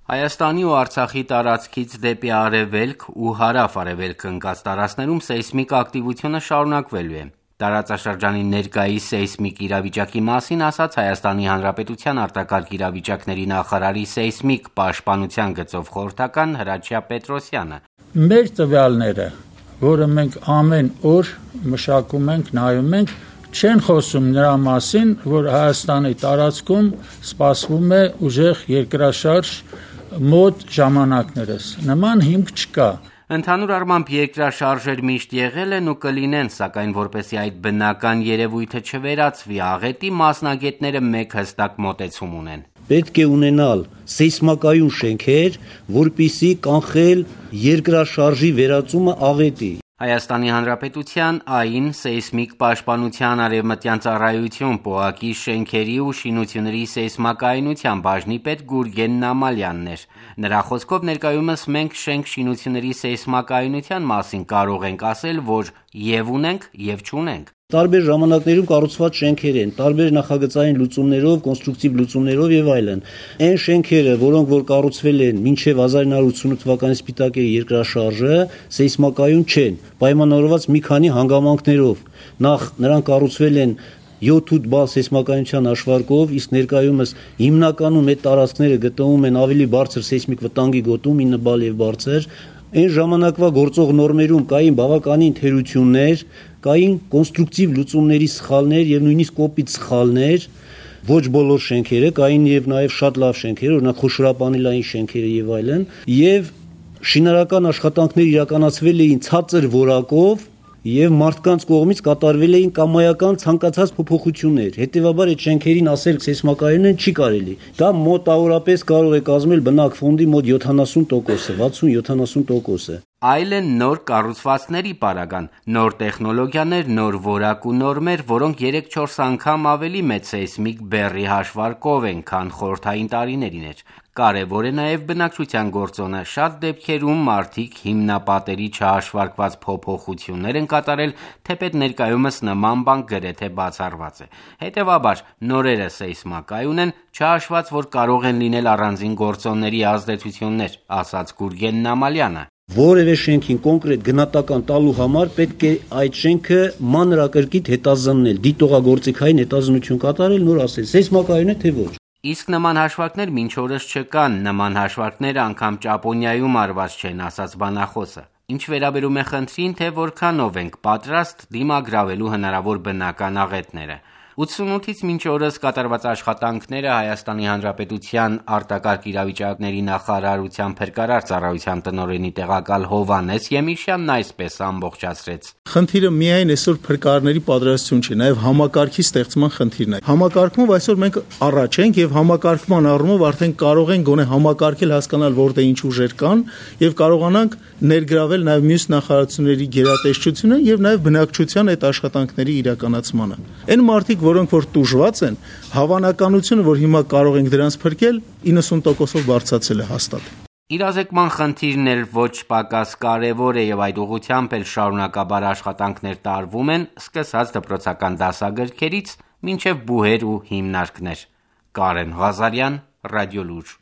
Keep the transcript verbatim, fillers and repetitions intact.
Հայաստանի ու Արցախի տարածքից դեպի արևելք ու հարավ-արևելք ընկած տարածքներում սեյսմիկ ակտիվությունը շարունակվելու է։ Տարածաշրջանի ներկայիս սեյսմիկ իրավիճակի մասին ասաց Հայաստանի Հանրապետության արտակարգ իրավիճակների նախարարի սեյսմիկ պաշտպանության գծով խորհրդական Հրաչյա Պետրոսյանը։ Մեր տվյալները, որը մենք ամեն օր մշակում ենք, նայում ենք, չեն խոսում նրա մասին, որ Հայաստանի տարածքում սպասվում է ուժեղ երկրաշարժ մոտ ժամանակներս, նման հիմք չկա։ Ընդհանուր առմամբ երկրաշարժեր միշտ եղել են ու կլինեն, սակայն որպեսզի այդ բնական երևույթը չվերածվի աղետի, մասնագետները մեկ հստակ մոտեցում ունեն։ Պետք է ունենալ սեյսմակայուն շենքեր, որպեսզի կանխել երկրաշարժի վերածումը աղետի։ Հայաստանի Հանրապետության ԱԻ-ն սեյսմիկ պաշտպանության արևմտյան ծառայություն ՊՕԱԿ-ի շենքերի ու շինությունների սեյսմակայունության բաժնի պետ Գուրգեն Նամալյանն էր։ Նրա խոսքով ներկայումս մենք շենք շինությունների սեյսմակայունության մասին կարող ենք ասել, որ և ունենք, և չունենք։ Տարբեր ժամանակներում կառուցված շենքեր են, տարբեր նախագծային լուծումներով, կոնստրուկտիվ լուծումներով եւ այլն։ Այն շենքերը, որոնք որ կառուցվել են մինչեւ հազար ինը հարյուր ութսունութ թվականի սպիտակերի երկրաշարժը, սեյսմակայուն չեն, պայմանավորված մի քանի հանգամանքներով։ Նախ նրանք կառուցվել են յոթ-ութ բալ սեյսմակայունության հաշվարկով, իսկ ներկայումս հիմնականում այդ տարածքները գտնվում են ավելի բարձր սեյսմիկ վտանգի գոտում, ինը բալ եւ բարձր։ Այն ժամանակվա գործող նորմերում կային բավականին թերություններ, կային կոնստրուկտիվ լուծումների սխալներ եւ նույնիսկ կոպիտ սխալներ, ոչ բոլոր շենքերը, կային եւ նաեւ շատ լավ շենքեր, օրինակ խոշորապանելային շենքերը եւ այլն, եւ շինարարական աշխատանքներ իրականացվել էին ցածր որակով եւ մարդկանց կողմից կատարվել էին կամայական ցանկացած փոփոխություններ։ Հետեւաբար այդ շենքերին ասել սեյսմակայուն են չի կարելի։ Դա մոտավորապես կարող է կազմել բնակ ֆոնդի մոտ յոթանասուն տոկոսը, վաթսուն-յոթանասուն տոկոսը։ Այլ են նոր կառուցվածքների պարագան, նոր տեխնոլոգիաներ, նոր որակ ու նորմեր, որոնք երեք-չորս անգամ ավելի մեծ սեյսմիկ բեռի հաշվարկով են, քան խորհրդային տարիներին էր։ Կարևոր է նաև բնակչության գործոնը։ Շատ դեպքերում մարդիկ հիմնապատերի չհաշվարկված փոփոխություններ են կատարել, թեպետ ներկայումս նման բան գրեթե բացառված է։ Հետևաբար, նորերը սեյսմակայուն են, չհաշված, որ կարող են լինել առանձին գործոնների ազդեցություններ, ասաց Գուրգեն Նամալյանը։ Որևէ շենքին կոնկրետ գնահատական տալու համար պետք է այդ շենքը մանրակրկիտ հետազննել, դիտողագործիքային հետազնություն կատարել, նոր ասել, սեյսմակայուն է թե ոչ։ Իսկ նման հաշվարկներ մինչ օրս չկան, նման հաշվարկները անգամ Ճապոնիայում արված չեն, ասաց բանախոսը։ Ինչ վերաբերում է խնդրին, թե որքանով ենք պատրաստ դիմագրավելու հնարավոր բնական աղետները։ ութսունութից մինչ օրս կատարված աշխատանքները Հայաստանի Հանրապետության արտակարգ իրավիճակների նախարարության փրկարար ծառայության տնօրենի տեղակալ Հովհաննես Եմիշյանն այսպես ամբողջացրեց։ Խնդիրը միայն այսօր փրկարարների պատրաստություն չի, նաև համակարգի ստեղծման խնդիրն է։ Համակարգումով այսօր մենք առաջ ենք եւ համակարգման առումով արդեն կարող ենք գոնե համակարգել, հասկանալ որտեղ ինչ ուժեր կան եւ կարողանանք ներգրավել նաև մյուս նախարարությունների գերատեսչությունը եւ նաև բնակչության այդ աշխատանքների իրականացմանը։ Այն մարդիկ, որոնք որ տուժված են, հավանականությունը, որ հիմա կարող ենք դրանց փրկել, իննսուն տոկոսով բարձրացել է հաստատ։ Իրազեկման խնդիրն էլ ոչ պակաս կարևոր է եւ այդ ուղղությամբ էլ շարունակաբար աշխատանքներ տարվում են, սկսած դպրոցական դասագրքերից մինչեւ բուհեր ու հիմնարկներ։ Կարեն Ղազարյան, Ռադիոլուր։